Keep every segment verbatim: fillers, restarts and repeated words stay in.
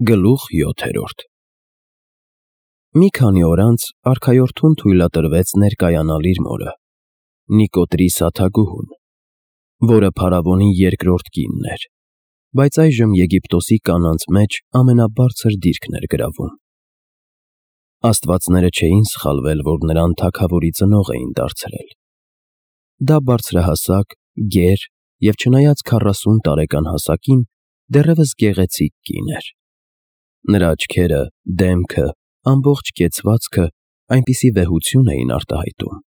Գլուխ յոթերորդ Մի քանի օր անց արքայորդուն թույլատրվեց ներկայանալ իր մորը, Նիկոտրի սաթագուհուն, որը փարավոնի երկրորդ կինն էր, բայց այժմ Եգիպտոսի կանանց մեջ ամենաբարձր դիրքն էր գրավում։ Աստվածները չէին սխալվել, որ նրան թագավորի ծնող էին դարձրել։ Դա բարձրահասակ, գեր և չնայած քառասուն տարեկան հասակին, դեռևս գեղեցիկ կին էր։ Նրա աչքերը, դեմքը, ամբողջ կեցվածքը այնպիսի վեհություն էին արտահայտում,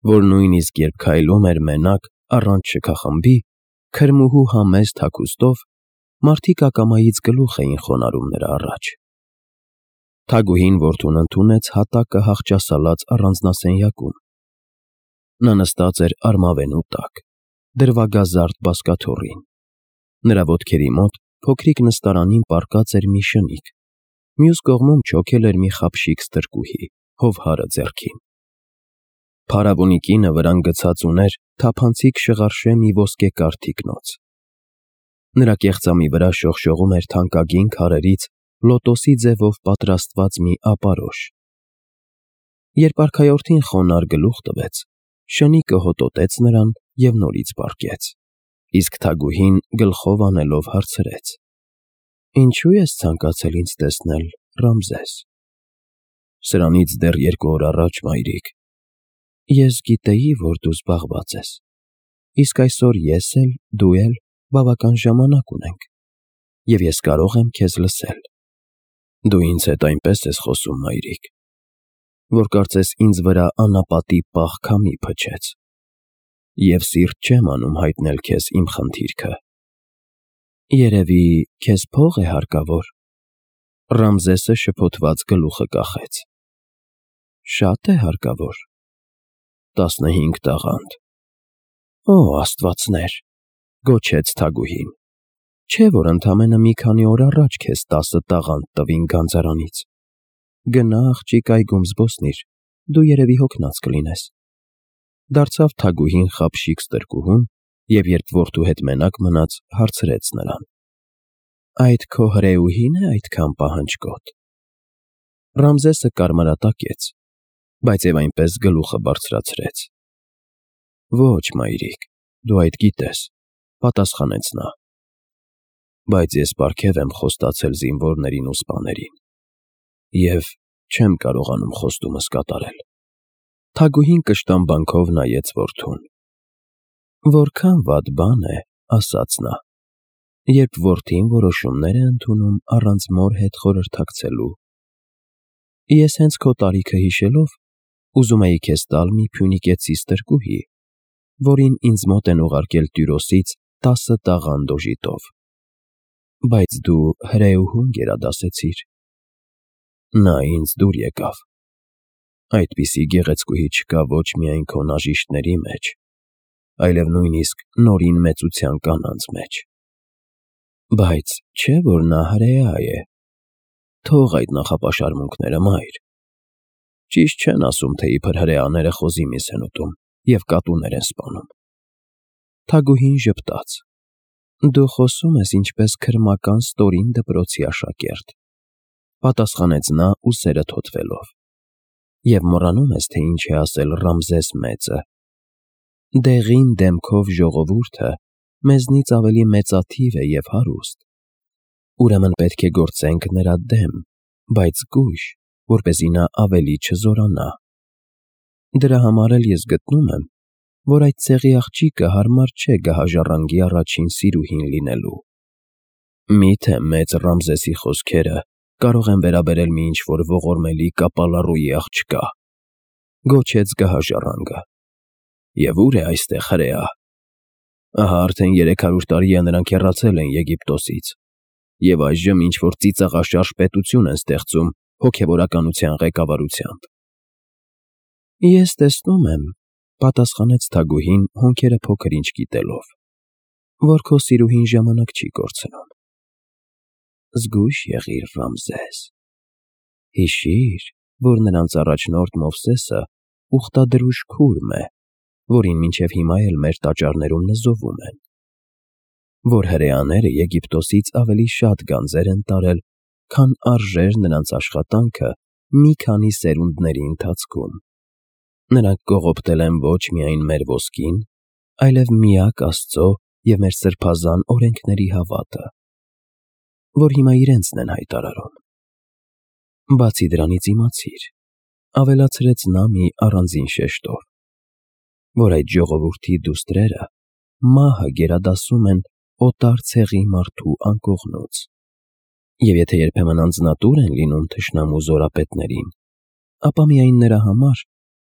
որ նույնիսկ երբ քայլում էր մենակ, առանց շքախմբի, քրմուհու համեստ հագուստով, մարդիկ ակամայից գլուխ էին խոնարհում նրա առաջ։ Թագուհին որդուն ընդունեց հատակը հախճասալած առանձնասենյակում։ Նա նստած էր արմավենու տակ, դրվագազարդ բազկաթոռին։ Նրա ոտքերի մոտ փոքրիկ նստարանին պառկած էր մի շնիկ, մյուս կողմում չոքել էր մի խաբշիկ ստրկուհի, հովհարը ձեռքին։ Փարավոնի կինը վրան գցած ուներ թափանցիկ շղարշե մի ոսկեկար թիկնոց։ Նրա կեղծամի վրա շողշողում էր թանկագին քարերից լոտոսի ձևով պատրաստված մի ապարոշ։ Երբ արքայորդին խոնարհ գլուխ տվեց, շնիկը հոտոտեց նրան և նորից պառկեց, իսկ թագուհին գլխով անելով հարցրեց. «Ինչո՞ւ ես ցանկացել ինձ տեսնել, Ռամզես»։ «Սրանից դեռ երկու օր առաջ, մայրիկ»։ «Ես գիտեի, որ դու զբաղված ես, իսկ այսօր ես էլ, դու էլ բավական ժամանակ ունենք, և ես կարող եմ քեզ լսել»։ «Դու ինձ հետ այնպես ես խոսում, մայրիկ, որ կարծես ինձ վրա անապատի պաղ քամի փչեց, և սիրտ չեմ անում հայտնել քեզ իմ խնդիրքը»։ «Երևի քեզ փող է հարկավոր»։ Ռամզեսը շփոթված գլուխը կախեց։ «Շա՞տ է հարկավոր»։ «Տասնհինգ տաղանդ»։ «Օ աստվածներ», գոչեց թագուհին, «չէ՞ որ ընդամենը մի քանի օր առաջ քեզ տասը տաղանդ տվին գանձարանից։ Գնա, աղջիկ, այգում զբոսնիր, դու երևի հոգնած կլինես»։ Դարձավ թագուհին խաբշիկ ստրկուհուն և երբ որդու հետ մենակ մնաց, հարցրեց նրան. «Այդ քո հրեուհի՞ն է այդքան պահանջկոտ»։ Ռամզեսը կարմրատակեց, բայց և այնպես գլուխը բարձրացրեց։ «Ոչ, մայրիկ, դու այդ գիտես», պատասխանեց նա։ «Բայց ես պարգև եմ խոստացել զինվորներին ու սպաներին, և չեմ կարողանում խոստումս կատարել»։ Թագուհին կշտամբանքով նայեց որդուն։ «Որքան վատ բան է, — ասաց նա, — երբ որդին որոշումներ է ընդունում առանց մոր հետ խորհրդակցելու։ Ես հենց քո տարիքը հիշելով, ուզում էի քեզ տալ մի փյունիկեցի ստրկուհի, որին ինձ մոտ են ուղարկել Տյուրոսից տասը տաղանդ օժիտով։ Բայց դու հրեուհուն գերադասեցիր։ Նա ինձ դուր եկավ։ Այդպիսի գեղեցկուհի չկա ոչ միայն քո նաժիշտների մեջ, այլև նույնիսկ նորին մեծության կանանց մեջ։ Բայց չէ՞ որ նա հրեա է։ Թող այդ նախապաշարմունքները, մայր։ Ճիշտ չեն ասում, թե իբր հրեաները խոզի միս են ուտում և կատուներ են սպանում։ Թագուհին ժպտաց. «Դու խոսում ես ինչպես քրմական ստորին դպրոցի աշակերտ», պատասխանեց նա ուսերը թոթվելով, «և մոռանում ես, թե ինչ է ասել Ռամզես մեծը. դեղին դեմքով ժողովուրդը մեզնից ավելի մեծաթիվ է և հարուստ։ Ուրեմն պետք է գործենք նրա դեմ, բայց զգույշ, որպեսզի նա ավելի չզորանա։ Դրա համար էլ ես գտնում եմ, որ այդ ցեղի աղջիկը հարմար չէ գահաժառանգի առաջին սիրուհին լինելու։ Մի՞թե մեծ Ռամզեսի խոսքերը կարող են վերաբերել մի ինչ-որ ողորմելի կապալառուի աղջկա», գոչեց գահաժառանգը։ «Եվ ո՞ւր է այստեղ հրեա։ Ահա արդեն երեք հարյուր տարի է նրանք հեռացել են Եգիպտոսից, և այժմ ինչ֊որ ծիծաղաշարժ պետություն են ստեղծում հոգևորականության ղեկավարությամբ»։ «Ես տեսնում եմ, — պատասխանեց թագուհին հոնքերը փոքր-ինչ կիտելով, — որ քո սիրուհին ժամանակ չի կորցնում։ Զգույշ եղիր, Ռամզես։ Հիշիր, որ նրանց առաջնորդ Մովսեսը ուխտադրուժ քուրմ է, որին մինչև հիմա էլ մեր տաճարներում նզովում են, որ հրեաները Եգիպտոսից ավելի շատ գանձեր են տարել, քան արժեր նրանց աշխատանքը մի քանի սերունդների ընթացքում։ Նրանք կողոպտել են ոչ միայն մեր ոսկին, այլև միակ Աստծո և մեր սրբազան օրենքների հավատը, որ հիմա իրենցն են հայտարարում։ Բացի դրանից իմացիր, ավելացրեց նա մի առանձին շեշտով, որ այդ ժողովրդի դուստրերը մահը գերադասում են օտար ցեղի մարդու անկողնուց, և եթե երբեմն անձնատուր են լինում թշնամու զորապետներին, ապա միայն նրա համար,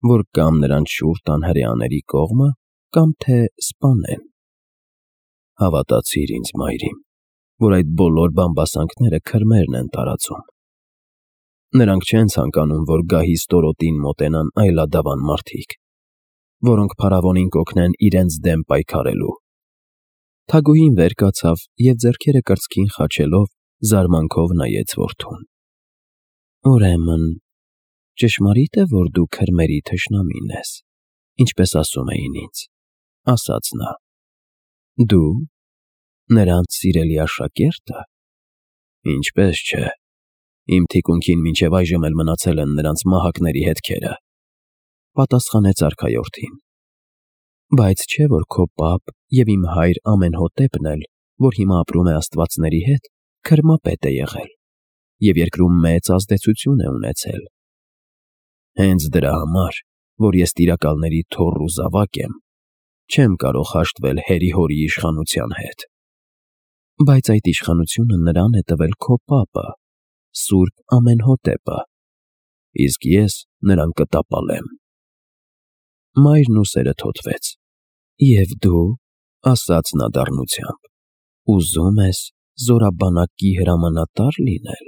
որ կամ նրանց շուռ տան հրեաների կողմը, կամ թե սպանեն։ Հավատացիր ինձ, մայրիկ, որ այդ բոլոր բամբասանքները քրմերն են տարածում։ Նրանք չեն ցանկանում, որ գահի ստորոտին մոտենան այլադավան մարդիկ, որոնք փարավոնին կօգնեն իրենց դեմ պայքարելու։ Թագուհին վեր կացավ և ձեռքերը կրծքին խաչելով զարմանքով նայեց որդուն։ Ուրեմն, ճշմարի՞տ է, որ դու քրմերի թշնամին ես, ինչպես ասում էին ինձ, ասաց նա։ Դու, նրանց սիրելի աշակե՞րտը։ Ինչպես չէ, իմ թիկունքին մինչև այժմ էլ մնացել են նրանց մահակների հետքերը, պատասխանեց արքայորդին։ Բայց չէ՞ որ քո պապ և իմ հայր Ամենհոտեպն էլ, որ հիմա ապրում է աստվածների հետ, քրմապետ է եղել և երկրում մեծ ազդեցություն է ունեցել։ Հենց դրա համար, որ ես տիրակալների թոռ ու զավակ եմ, չեմ կարող հաշտվել հերի֊հորի իշխանության հետ։ Բայց այդ իշխանությունը նրան է տվել քո պապը, Սուրբ Ամենհոտեպը, իսկ ես նրան կտապալեմ։ Մայրն ուսերը թոթվեց։ Եվ դու, ասաց նա դառնությամբ, ուզում ես զորաբանակի հրամանատա՞ր լինել։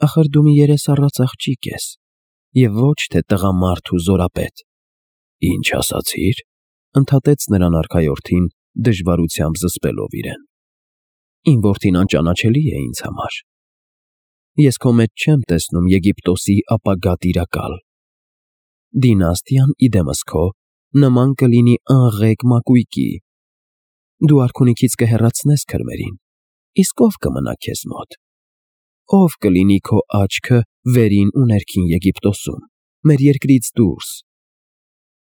Ախր դու մի երեսառած աղջիկ ես, և ոչ թե տղամարդ ու զորապետ։ Ինչ ասացիր, ընդհատեց նրան արքայորդին, դժվարությամբ զսպելով իրեն։ Իմ որդին անճանաչելի է ինձ համար։ Ես քո մեջ չեմ տեսնում Եգիպտոսի ապագա տիրակալ։ Դինաստիան, ի դեմս քո, նման կլինի անղեգ մակույկի։ Դու արքունիքից կհեռացնես քրմերին, իսկ ո՞վ կմնա քեզ մոտ։ Ո՞վ կլինի քո աչքը վերին ու ներքին Եգիպտոսում, մեր երկրից դուրս։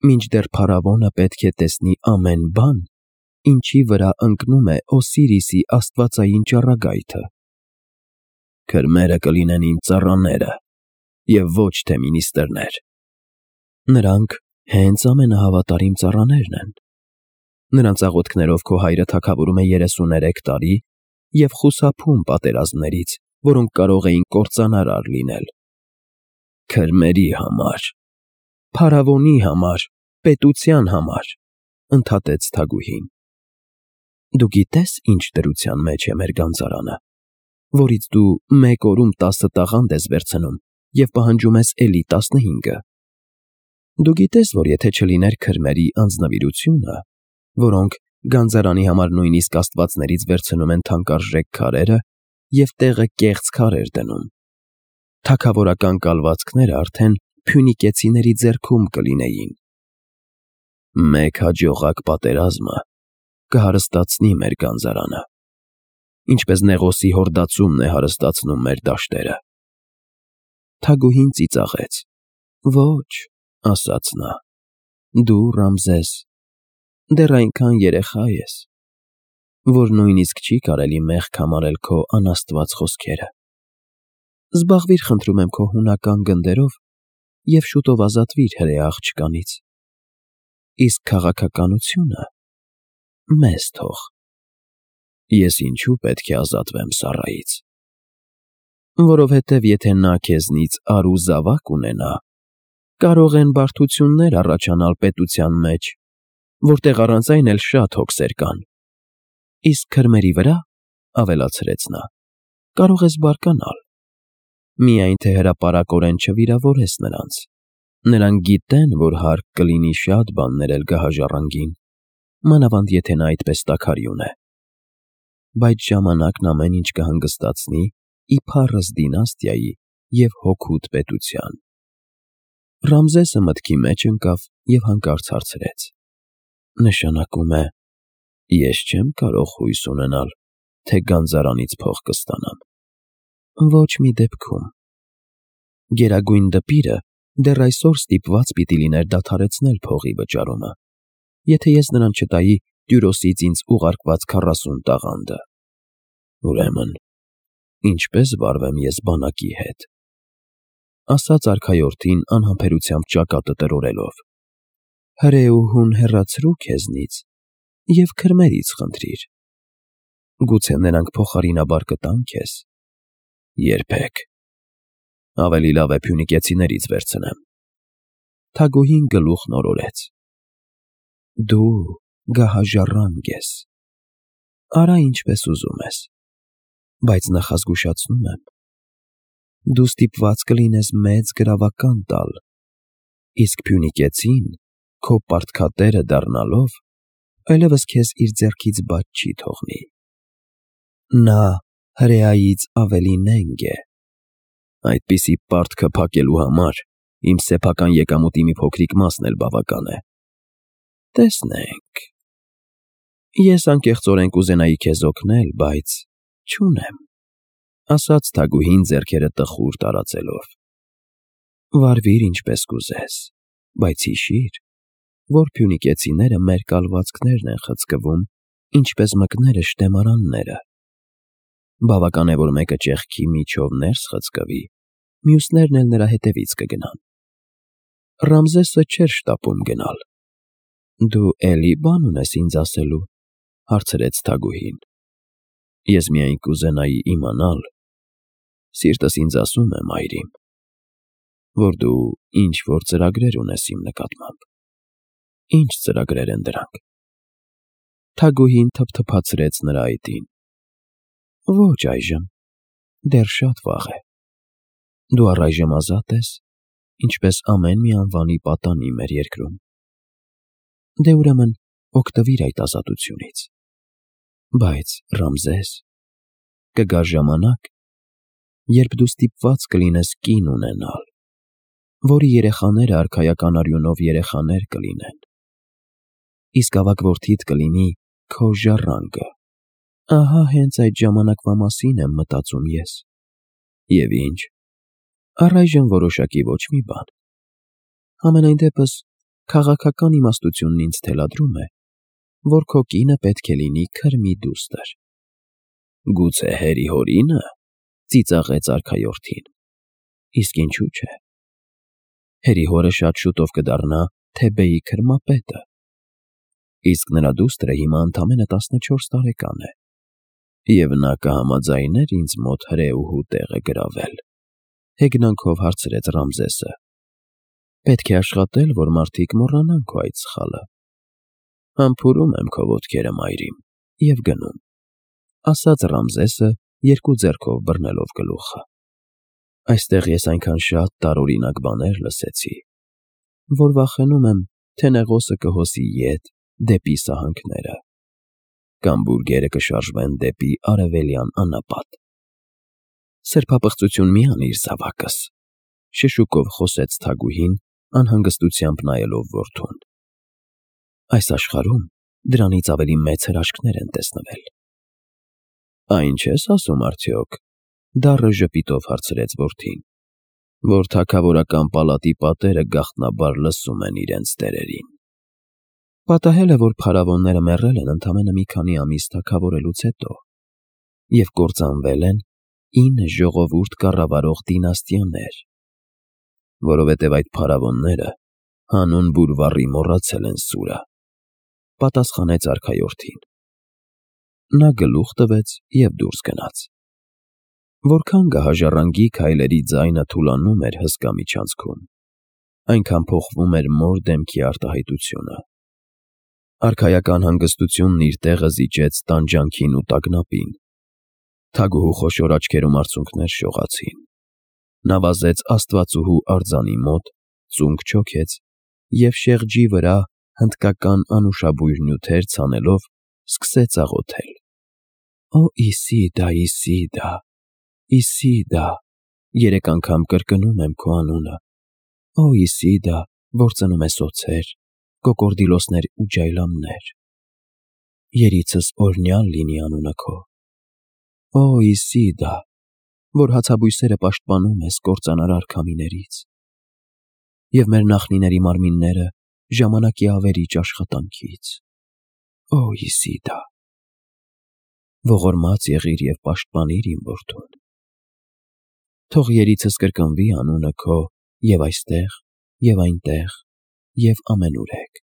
Մինչդեռ փարավոնը պետք է տեսնի ամեն բան, ինչի վրա ընկնում է Օսիրիսի աստվածային ճառագայթը։ Քրմերը կլինեն իմ ծառաները, և ոչ թե մինիստրներ։ Նրանք հենց ամենահավատարիմ ծառաներն են։ Նրանց աղոթքներով քո հայրը թագավորում է երեսուներեք տարի և խուսափում պատերազմներից, որոնք կարող էին կործանարար լինել։ Քրմերի համար, փարավոնի համար, պետության համար, ընդհատեց թագուհին։ Դու գիտե՞ս, ինչ դրության մեջ է մեր գանձարանը, որից դու մեկ օրում տասը տաղանդ ես վերցնում և պահանջում ես էլի տասնհինգը։ Դու գիտես, որ եթե չլիներ քրմերի անձնվիրությունը, որոնք գանձարանի համար նույնիսկ աստվածներից վերցնում են թանկարժեք քարերը և տեղը կեղծ քարեր դնում, թագավորական կալվածքները արդեն փյունիկեցիների ձեռքում կլինեին։ Մեկ հաջողակ պատերազմը կհարստացնի մեր գանձարանը, ինչպես Նեղոսի հորդացումն է հարստացնում մեր դաշտերը։ Թագուհին ծիծաղեց։ Ոչ, ասաց նա, դու, Ռամզես, դեռ այնքան երեխա ես, որ նույնիսկ չի կարելի մեղք համարել քո անաստված խոսքերը։ Զբաղվիր, խնդրում եմ, քո հունական գնդերով և շուտով ազատվիր հրեա աղջկանից, իսկ քաղաքականությունը մեզ թող։ Ես ինչու պետք է ազատվեմ Սառայից։ Որովհետև եթե նա քեզնից առ ու զավակ ունենա, կարող են բարդություններ առաջանալ պետության մեջ, որտեղ առանց այն էլ շատ հոգսեր կան։ Իսկ քրմերի վրա, ավելացրեց նա, կարող ես բարկանալ, միայն թե հրապարակորեն չվիրավորես նրանց։ Նրանք գիտեն, որ հարկ կլինի շատ բան ներել գահաժառանգին, մանավանդ եթե նա այդպես տաքարյուն է։ Բայց ժամանակն ամեն ինչ կհանգստացնի ի փառս դինաստիայի և հօգուտ պետության։ Ռամզեսը մտքի մեջ ընկավ և հանկարծ հարցրեց. Նշանակում է, ես չեմ կարող հույս ունենալ, թե գանձարանից փող կստանամ։ Ոչ մի դեպքում։ Գերագույն դպիրը դեռ այսօր ստիպված պիտի լիներ դադարեցնել փողի վճարումը, եթե ես նրան չտայի Տյուրոսից ինձ ուղարկված քառասուն տաղանդը։ Ուրեմն, ինչպե՞ս վարվեմ ես բանակի հետ, ասաց արքայորդին անհամբերությամբ ճակատը տրորելով։ Հրեուհուն հեռացրու քեզնից և քրմերից խնդրիր։ Գուցե նրանք փոխարինաբար կտան քեզ։ Երբեք։ Ավելի լավ է փյունիկեցիներից վերցնեմ։ Թագուհին գլուխն օրորեց։ Դու գահաժառանգ ես։ Արա ինչպես ուզում ես, բայց նախազգուշացնում եմ, դու ստիպված կլինես մեծ գրավական տալ, իսկ փյունիկեցին, քո պարտքատերը դառնալով, այլևս քեզ իր ձեռքից բաց չի թողնի։ Նա հրեայից ավելի նենգ է։ Այդպիսի պարտքը փակելու համար իմ սեփական եկամուտի մի փոքրիկ մասն էլ բավական է։ Տեսնենք։ Ես անկեղծորեն կուզենայի քեզ օգնել, բայց չունեմ, ասաց թագուհին ձեռքերը տխուր տարածելով։ Վարվիր ինչպես կուզես, բայց հիշիր, որ փյունիկեցիները մեր կալվածքներն են խցկվում, ինչպես մկները շտեմարանները։ Բավական է, որ մեկը ճեղքի միջով ներս խցկվի, մյուսներն էլ նրա հետևից կգնան։ Ռամզեսը չէր շտապում գնալ։ Դու էլի բան ունես ինձ ասելու, հարցրեց թագուհին։ Ես միայն կուզենայի իմանալ, սիրտս ինձ ասում է, մայրիմ, որ դու ինչ-որ ծրագրեր ունես իմ նկատմամբ։ Ինչ ծրագրեր են դրանք։ Թագուհին թփթփացրեց նրա այտին։ Ոչ այժմ, դեռ շատ վաղ է։ Դու առայժմ ազատ ես, ինչպես ամեն մի անվանի պատանի մեր երկրում։ Դե ուրեմն օգտվիր այդ ազատությունից։ Բայց, Ռամզես, կգա ժամանակ, երբ դու ստիպված կլինես կին ունենալ, որի երեխաները արքայական արյունով երեխաներ կլինեն։ Իսկ ավագ որդիդ կլինի քո ժառանգը։ Ահա հենց այդ ժամանակվա մասին եմ մտածում ես։ Եվ ինչ, առայժմ որոշակի ոչ մի բան։ Համենայն դեպս, քաղաքական իմաստությունն ինձ թելադրում է, որ քո կինը պետք է լինի քրմի դուստր։ Գուցե հերի հորինը, ծիծաղեց արքայորդին։ Իսկ ինչու՞ չէ։ Հերի հորը շատ շուտով կդառնա Թեբեի քրմապետը, իսկ նրա դուստրը հիմա ընդամենը տասնչորս տարեկան է, և նա կհամաձայնե՞ր ինձ մոտ հրեուհու տեղը գրավել։ Հեգնանքով հարցրեց Ռամզեսը։ Պետք է աշխատել, որ մարդիկ մոռանան քո այդ սխալը։ Համբուրում եմ քո ոտքերը, մայրիմ, և գնում, ասաց Ռամզեսը, երկու ձեռքով բռնելով գլուխը։ Այստեղ ես այնքան շատ տարօրինակ բաներ լսեցի, որ վախենում եմ, թե նեղոսը կհոսի ետ դեպի սահանքները, կամ բուրգերը կշարժվեն դեպի արևելյան անապատ։ Սրբապղծություն մի անիր, զավակս, շշուկով խոսեց թագուհին, անհանգստությամբ նայելով որդուն։ Այս աշխարհում դրանից ավելի մեծ հրաշքներ են տեսնվել։ Այն չես ասում արդյոք, դառը ժպիտով հարցրեց որդին, որ թագավորական պալատի պատերը գաղտնաբար լսում են իրենց տերերին։ Պատահել է, որ փարավոնները մեռել են ընդամենը մի քանի ամիս թագավորելուց հետո, և կործանվել են ինը ժողովուրդ կառավարող դինաստիաներ, որովհետև այդ փարավոնները հանուն բուրվառի մոռացել են սուրը, պատասխանեց արքայորդին։ Նա գլուխ տվեց և դուրս գնաց։ Որքան գահաժառանգի քայլերի ձայնը թուլանում էր հսկա միջանցքում, այնքան փոխվում էր մոր դեմքի արտահայտությունը։ Արքայական հանգստությունն իր տեղը զիջեց տանջանքին ու տագնապին։ Թագուհու խոշոր աչքերում արցունքներ շողացին։ Նա վազեց աստվածուհու արձանի մոտ, ծունկ չոքեց և շեղջի վրա հնդկական անուշաբույր նյութեր ցանելով սկսեց աղոթել. Օ Իսիդա, Իսիդա, Իսիդա, երեք անգամ կրկնում եմ քո անունը։ Օ Իսիդա, որ ծնում ես օձեր, կոկորդիլոսներ ու ջայլամներ։ Երիցս օրհնյալ լինի անունը քո։ Օ Իսիդա, որ հացաբույսերը պաշտպանում ես կործանարար քամիներից, և մեր նախնիների մարմինները ժամանակի ավերիչ աշխատանքից։ Օ Իսիդա, ողորմած եղիր և պաշտպանիր իմ որդուն։ Թող երիցս կրկնվի անունը քո և այստեղ, և այնտեղ, և ամենուրեք,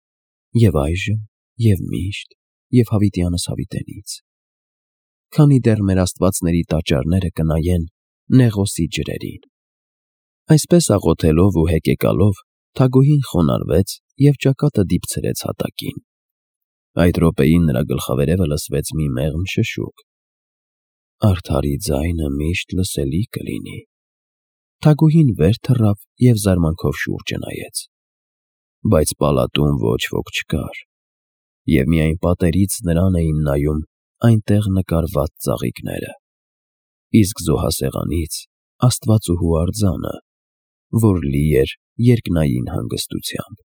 և այժմ, և միշտ, և հավիտյանս հավիտենից, քանի դեռ մեր աստվածների տաճարները կնայեն Նեղոսի ջրերին։ Այսպես աղոթելով ու հեկեկալով թագուհին խոնարհվեց և ճակատը դիպցրեց հատակին։ Այդ րոպեին նրա գլխավերևը լսվեց մի մեղմ շշուկ. «Արդարի ձայնը միշտ լսելի կլինի»։ Թագուհին վեր թռավ և զարմանքով շուրջը նայեց, բայց պալատում ոչ ոք չկար, և միայն պատերից նրան էին նայում այնտեղ նկարված ծաղիկները, իսկ զոհասեղանից աստվածուհու արձանը, որ լի էր երկնային հանգստությամբ։